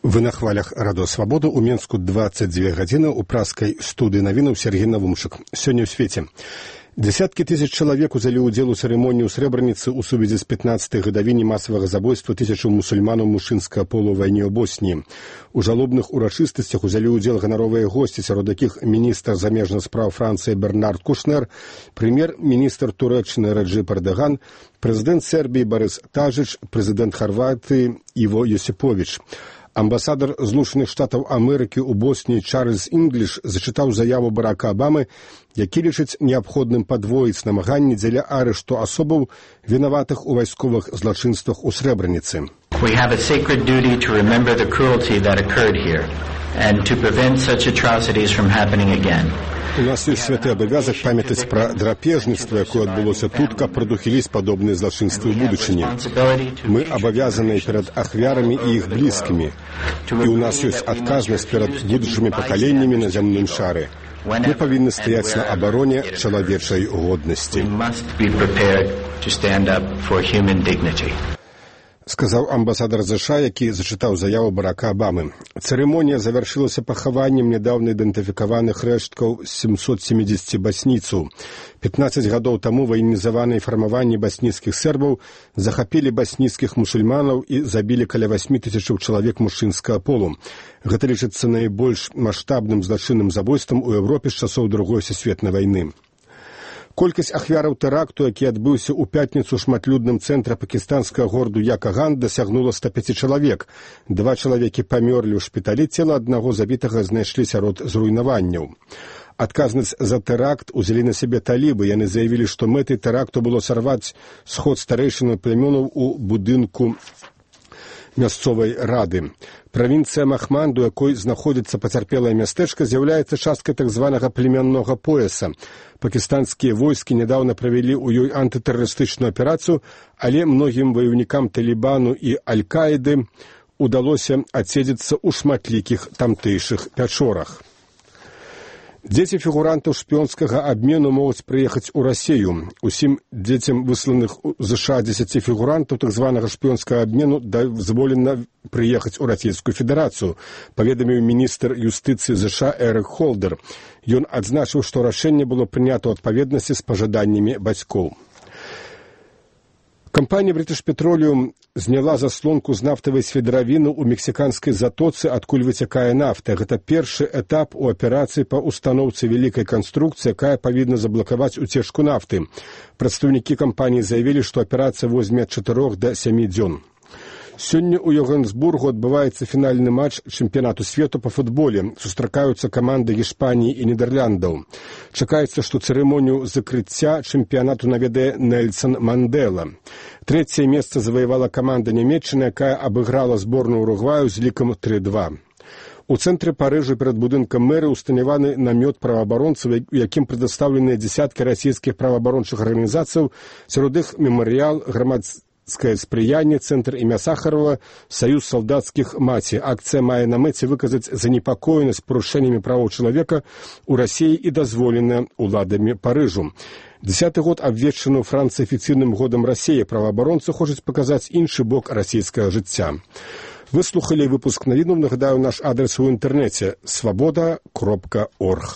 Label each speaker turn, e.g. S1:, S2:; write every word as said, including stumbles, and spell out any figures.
S1: Вы на хвалях радыё Свабода. У Менску двадцать две гадзіны ў праскай студыі навінаў Сергей Навумшык. Сёння ў свеце дзесяткі тысяч чалавек узялі ўдзел у цырымоніі ў Срэбраніцы ў сувязі з пятнаццатай гадавіны масавага забойства тысячаў мусульманаў мужчынскага полу ў вайне ў Босніі. У жалобных урачыстасцях узялі ўдзел ганаровыя госці, сярод якіх міністр замежных спраў Францыі Бернард Кушнер, прэм'ер-міністр Турэччыны Реджеп Эрдоган, прэзідэнт Сербіі Борис Тадžić, прэзідэнт Харватыі Іво Јосипович. Амбасадар Злучаных Штатаў Амерыкі ў Босніі Чарльз Інгліш зачытаў заяву Барака Абамы, які лічыць неабходным падвоіць намаганні дзеля арышту асобаў, вінаватых у вайсковых злачынствах у Срэбраніцы.
S2: We have a sacred duty to remember the cruelty that occurred here and to prevent such atrocities from happening again.
S1: У нас ёсць святы абавязак памятаць пра драпежніцтва, якое адбылося тут, каб прадухіліць падобныя злачынствы ў будучыні. Мы абавязаныя перад ахвярамі і іх блізкімі. І ў нас ёсць адказнасць перад будучымі пакаленнямі на зямным шары. Мы павінны стаяць на абароне чалавечай годнасці. Сказаў амбасадар ЗША, які зачытаў заяву Барака Абамы. Цырымонія завяршылася пахаваннем нядаўна ідэнтыфікаваных рэшткаў сямсот семидесяти басніцаў. пятнаццаць гадоў таму ваенізаваныя фармаванні басніцкіх сербаў захапілі басніцкіх мусульманаў і забілі каля восьмі тысячаў чалавек мужчынскага полу. Гэта лічыцца найбольш маштабным злачынным забойствам у Еўропе з часоў Другой сусветнай вайны. Колькасць ахвяраў тэракту, які адбыўся ў пятніцу ў шматлюдным цэнтры пакістанскага гораду Якаган, дасягнула ста пяці чалавек. Два чалавекі памёрлі ў шпіталі, цела аднаго забітага знайшлі сярод зруйнаванняў. Адказнасць за тэракт узялі на сябе талібы. Яны заявілі, што мэтай тэракту было сарваць сход старэйшынаў племёнаў у будынку мясцовай рады. Правінцыя Махманду, якой знаходзіцца пацярпелае мястэчка, з'яўляецца часткай так званага племяннога пояса. Пакістанскія войскі нядаўна правялі ў ёй антытэрарыстычную аперацыю, але многім ваёўнікам Талібану і Аль-Каіды удалося адседзецца ў шматлікіх тамтэйшых пячорах. Дзеці фігурантаў шпіёнскага абмену могуць прыехаць у Расію. Усім дзецям высланых у ЗША дзесяці фігурантаў так званага шпіёнскага абмену дазволена прыехаць у Расійскую Федэрацыю, паведаміў міністр юстыцыі ЗША Эрык Холдер. Ён адзначыў, што рашэнне было прынята ў адпаведнасці з пажаданнямі бацькоў. Кампанія British Petroleum зняла заслонку з нафтавай сведравіны ў мексіканскай затоцы, адкуль выцякае нафта. Гэта першы этап у аперацыі па устаноўцы вялікай канструкцыі, якая павінна заблакаваць уцечку нафты. Прадстаўнікі кампаніі заявілі, што аперацыя возьме ад чатырох да сямі дзён. Сёння ў Йоханнесбургу адбываецца фінальны матч чэмпіянату свету па футболе. Сустракаюцца каманды Іспаніі і Нідерландаў. Чакаецца, што цырымонію закрыцця чэмпіянату наведае Нельсон Мандела. Трэцяе месца заваявала каманда Нямецчыны, якая абыграла зборную Уругваю з лікам тры два. У цэнтры Парыжа перад будынкам мэры ўстанаваны намёт праваабаронцаў, у якім прадастаўленыя дзясяткі расійскіх праваабарончых арганізацыяў, сярод іх мемарыял, грамадская спрыянне, цэнтр імя Сахарова, саюз салдацкіх маці. Акцыя мае на мэце выказаць занепакоенасць парушэннямі правоў чалавека ў Расіі і дазволеная ўладамі Парыжу. Дзясяты год абвешчаны ў Францыі афіцыйным годам Расіі. Праваабаронцы хочуць паказаць іншы бок расійскага жыцця. Вы слухалі выпуск навінаў. Нагадаю, наш адрес у інтэрнэце свабода кропка орг.